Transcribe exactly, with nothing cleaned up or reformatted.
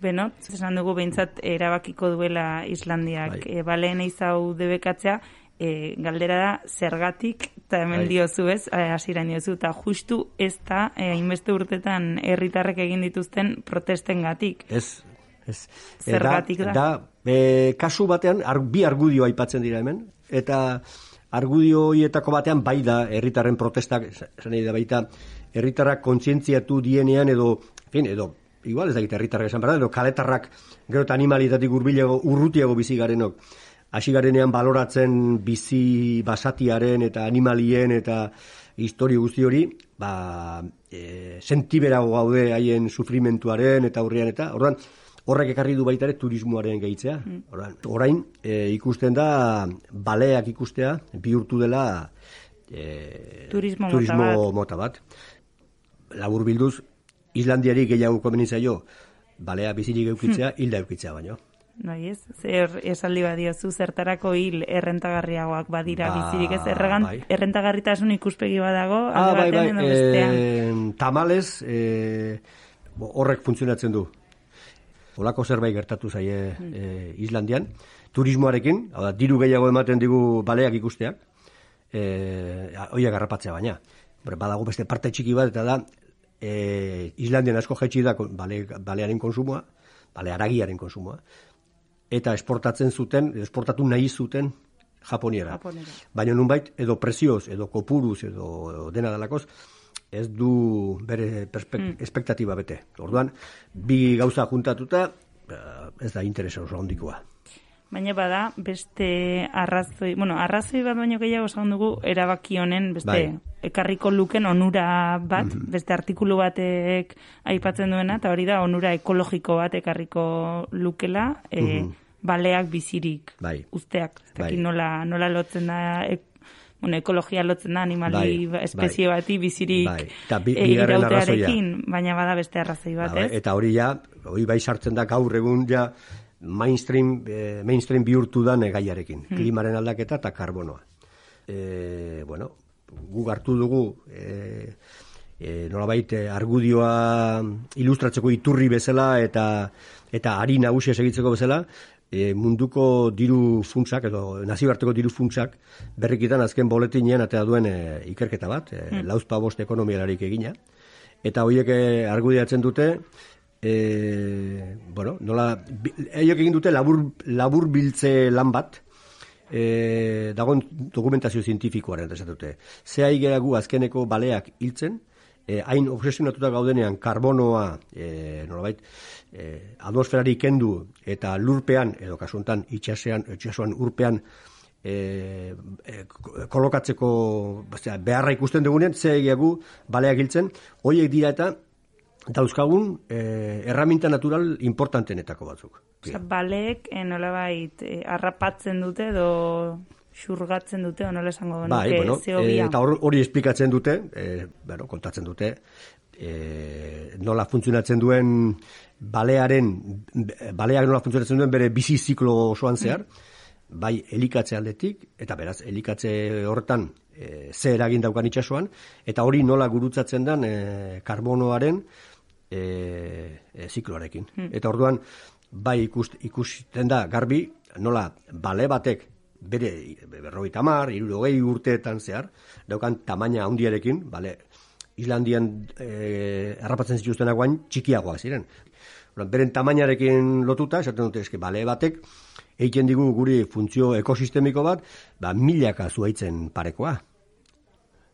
Benot, esan dugu behintzat erabakiko duela Islandiak bai. e, baleen eizau debekatzea, e, galdera da zergatik, eta hemen bai. diozu ez, hasieran diozu, eta justu ez da, hainbeste urtetan herritarrek egin dituzten protestengatik. Ez, ez. Zergatik da? Da, e, kasu batean, ar, bi argudio aipatzen dira hemen, eta argudio horietako batean bai da herritarren protestak, esan nahi da baita, herritarrak kontzientziatu dienean edo, fin, edo, igual ez da gita herritarrak esan behar, edo kaletarrak gero eta animalitatik urbilago, urrutiago bizi garenok, hasi garenean baloratzen bizi basatiaren eta animalien eta historio guzti hori, ba, e, sentiberago gaude haien sufrimentuaren eta aurrean eta, orduan, horrek ekarri du baita ere turismoaren gehitzea. Mm. Orain, orain e, ikusten da baleak ikustea bihurtu dela e, turismo, turismo mota bat. mota bat. Labur bilduz, Islandiari gehiago komenitzaio balea bizirik eukitzea, mm. hilda eukitzea baino. Bai ez, zer esaldi badiozu zertarako hil errentagarriagoak badira ba, bizirik ez, erregan, bai. Errentagarritasun ikuspegi badago, ah, alde batean bai, edo bai. bestean. E, tamalez, e, horrek funtzionatzen du. Olako zerbait gertatu zaie mm. e, Islandian, turismoarekin, hau da, diru gehiago ematen digu baleak ikusteak, e, oia garrapatzea baina. Badago beste parte txiki bat, eta da, e, Islandian asko jaitsi da bale, balearen konsumoa, bale haragiaren konsumoa, eta esportatzen zuten, esportatu nahi zuten Japoniera. Japoniera. Baina nunbait, edo prezioz, edo kopuruz, edo dena dalakoz, ez du bere perspek- mm. espektatiba bete. Orduan, bi gauza juntatuta, ez da interesa oso handikoa. Baina bada, beste arrazoi, bueno, arrazoi bat baino gehiago esan dugu erabaki honen, beste bai. ekarriko luken onura bat, mm-hmm. beste artikulu batek aipatzen duena, eta hori da onura ekologiko bat ekarriko lukela, e, mm-hmm. baleak bizirik, bai. usteak, ez dakit bai. nola, nola lotzen da, e, bueno, ekologia lotzen da animali bai, espezie bai. Bati bizirik bai. bi, e, irautearekin, baina bada beste arrazoi bat, ba, ez? Eta hori ja, hori bai sartzen da gaur egun ja mainstream, eh, mainstream bihurtu da negaiarekin, hmm. klimaren aldaketa eta karbonoa. E, bueno, guk hartu dugu e, e, nolabait argudioa ilustratzeko iturri bezala eta eta ari nagusia segitzeko bezala, e, munduko diru funtsak edo nazioarteko diru funtsak berrikitan azken boletinean atea duen e, ikerketa bat, e, hmm. lauzpa bost ekonomialarik egina, eta horiek argudiatzen dute E, bueno, nola, eiok egin dute labur, labur biltze lan bat, e, dagoen dokumentazio zientifikoaren esatute. Ze aigera gu azkeneko baleak hiltzen, e, hain obsesionatuta gaudenean karbonoa, e, nolabait, e, atmosferari kendu eta lurpean, edo kasuntan itxasean, itxasuan urpean, e, e, kolokatzeko bastia, beharra ikusten dugunean, ze aigera gu baleak hiltzen, horiek dira eta dauzkagun eh, erraminta natural importantenetako batzuk. Osa, baleek eh, nolabait eh, arrapatzen dute edo xurgatzen dute, o nola esango genuke bai, bueno, zeobia. E, eta hori esplikatzen dute, e, bueno, kontatzen dute, e, nola funtzionatzen duen balearen, baleak nola funtzionatzen duen bere bizi ziklo osoan zehar, mm. bai elikatze aldetik, eta beraz, elikatze horretan e, ze eragin daukan itsasoan, eta hori nola gurutzatzen den e, karbonoaren e, e, zikloarekin. Mm. Eta orduan, bai ikust, ikusten da garbi, nola bale batek bere berrogeita hamar, hirurogei urteetan zehar, daukan tamaina handiarekin, bale, Islandian e, harrapatzen zituztenak guain txikiagoak ziren. Beren tamainarekin lotuta, esaten dute eske bale batek, egiten digu guri funtzio ekosistemiko bat, ba, milaka zuhaitzen parekoa.